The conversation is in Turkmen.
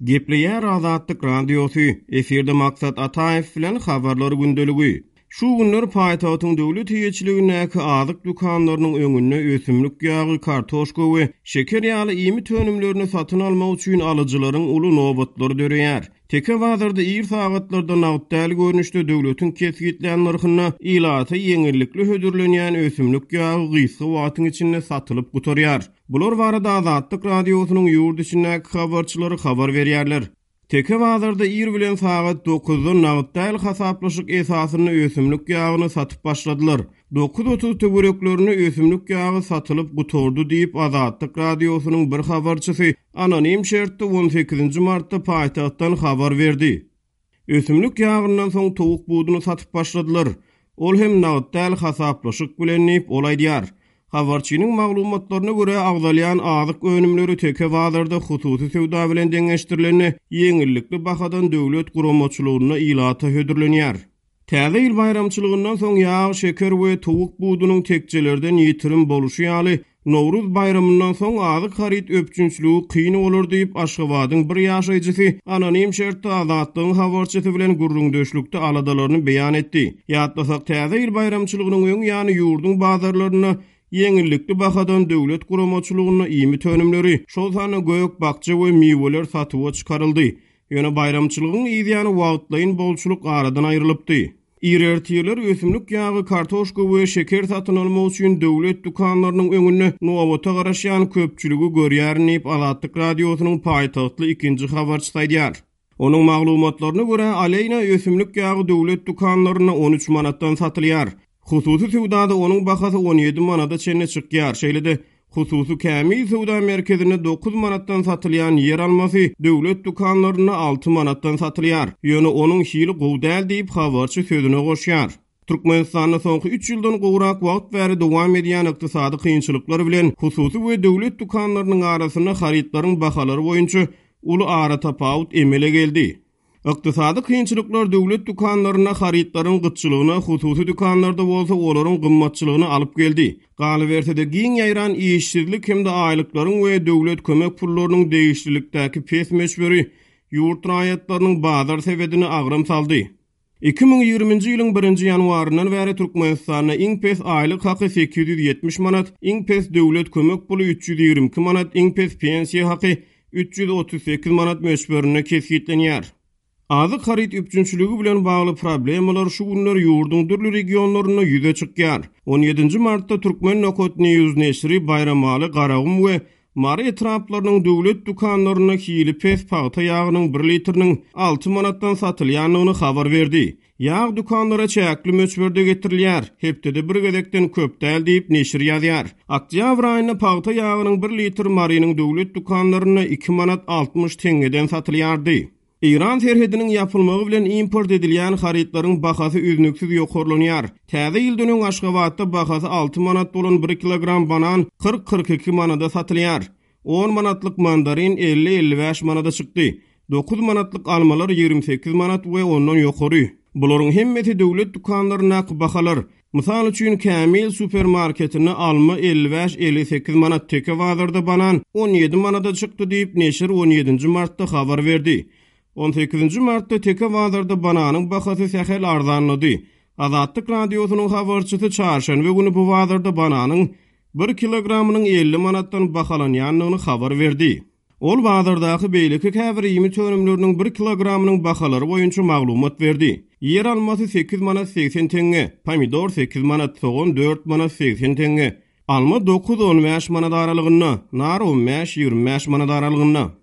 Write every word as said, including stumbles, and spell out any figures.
Gepleýär Azatlyk Radiosy, efirde Maksat Ataýew bilen Habarlar gündeligi. Şu günler paýtagtyň döwlet eýeçiligindäki azyk dükanlarynyň öňünde ösümlik ýagy, kartoşka we şeker ýaly iýmit önümlerini satyn almak üçin alyjylaryň uly nobatlary döreýär. Teke bazarda ir sagatlarda nagt däl görnüşde döwletiň kesgitlän nyrhynda ilata ýeňillikli hödürlenýän ösümlik ýagy gysga wagtyň içinde satylyp gutarýar. Bular barada Azatlyk Radiosynyň ýurt içindäki habarçylary habar berýärler. Teke bazarda ir bilen sagat dokuzdan nagt däl hasaplaşyk esasynda ösümlik ýagyny satyp başladylar. Dokuz otuz töwereklerinde ösümlik ýagy satylyp gutardy diýip, Azatlyk Radiosynyň bir habarçysy anonim şertde on sekizinji martda paýtagtdan habar berdi. Ösümlik ýagyndan soň towuk buduny satyp başladylar. Ol hem nagt däl hasaplaşyk bilen diýip, ol aýdýar. Habarçynyň maglumatlaryna görä agzalýan azyk önümleri teke bazarda hususy söwda bilen deňeşdirilende ýeňillikli bahadan döwlet guramaçylygynda ilata hödürlenýär. Täze ýyl baýramçylygyndan soň ýag, şeker we towuk budunyň tekjelerden ýitirim boluşy ýaly, Nowruz baýramyndan soň azyk haryt öpçünçiligi kyn bolar diýip, Aşgabadyň bir ýaşaýjysy anonim şertde Azatlygyň habarçysy bilen gürrüňdeşlikde aladalaryny beýan etdi. Ýatlasak, Täze ýyl baýramçylygynyň öň ýany ýurduň bazarlarynda ýeňillikli bahadan döwlet guramaçylygynda iýmit önümleri, şol sanda gök, bakja we miweler satuwa çykaryldy. Ýöne baýramçylygyň yzýany wagtlaýyn bolçulyk aradan aýrylypdy. Ir ertirler ösümlik ýagy, kartoşka we şeker satyn almak üçin döwlet dükanlarynyň öňünde nobata garaşýan köpçüligi görýärin diýip, Azatlyk Radiosynyň paýtagtly ikinji habarçysy aýdýar. Onuň maglumatlaryna görä, Aleýna ösümlik ýagy döwlet dükanlarynda on üç manatdan satylýar. Hususy söwdada onuň bahasy on ýedi manada çenli çykýar. Şeýle-de hususy Kämil söwda merkezinde dokuz manatdan satylýan ýer almasy döwlet dükanlarynda alty manatdan satylýar. Ýöne onuň hili gowy däl diýip, habarçy sözüne goşýar. Türkmenistanda soňky üç ýyldan gowrak wagt bäri dowam edýän ykdysady kynçylyklar bilen hususy we döwlet dükanlarynyň arasynda harytlaryň bahalary boýunça uly aratapawut emele geldi. Ykdysady kynçylyklar döwlet dükanlarynda harytlaryň gytçylygyna, hususy dükanlarda bolsa olaryň gymmatçylygyna alyp geldi. Galyberse-de giň ýaýran işsizlik hem-de aýlyklaryň we döwlet kömek pullarynyň degişlilikdäki pes möçberi ýurt raýatlarynyň bazar sebedine agram saldy. Iki müň ýigriminji ýylyň birinji ýanwaryndan bäri Türkmenistanda iň pes aýlyk haky sekiz ýüz ýetmiş manat, iň pes döwlet kömek puly üç ýüz ýigrimi iki manat, iň pes pensiýa haky üç ýüz otuz sekiz manat möçberinde kesgitlenýär. Azyk haryt üpjünçiligi bilen bagly problemalar şu günler ýurduň dürli regionlarynda ýüze çykýar. On ýedinji martda Türkmen Nokat News neşiri Baýramaly, Garagum we Mary etraplarynyň döwlet dükanlarynda hili pes pagta ýagynyň bir litriniň alty manatdan satylýandygyny habar berdi. Ýag dükanlara çäkli möçberde getirilýär, hepdede bir gezekden köp däl diýip neşir ýazýar. Oktýabr aýynda pagta ýagynyň bir litr Marynyň döwlet dükanlarynda iki manat altmyş teňňeden satylýardy. Eýran serhediniň ýapylmagy bilen import edilýän harytlaryň bahasy üznüksiz ýokarlanýar. Täze ýyldan öň Aşgabatda bahasy alty manat bolan bir kilogram banan kyrk-kyrk iki manada satylýar. On manatlyk mandarin elli-elli bäş manada çykdy. Dokuz manatlyk almalar ýigrimi sekiz manat we ondan ýokary. Bularyň hemmesi döwlet dükanlaryndaky bahalar. Mysal üçin, Kämil supermarketinde alma elli bäş-elli sekiz manat, Teke bazarda banan on ýedi manada çykdy diýip, neşir on ýedinji martda habar berdi. On sekizinji martda Teke bazarda bananyň bahasy sähel arzanlady. Azatlyk Radiosynyň habarçysy çarşenbe güni bu bazarda bananyň bir kilogramynyň elli manatdan bahalanýandygyny habar berdi. Ol bazardaky beýleki käbir iýmit önümleriniň bir kilogramynyň bahalary boýunça maglumat berdi. Ýer almasy sekiz manat segsen teňňe, pomidor sekiz manat, sogan dört manat segsen teňňe, alma dokuz on bäş manat aralygynda, nar on bäş ýigrimi bäş manat aralygynda.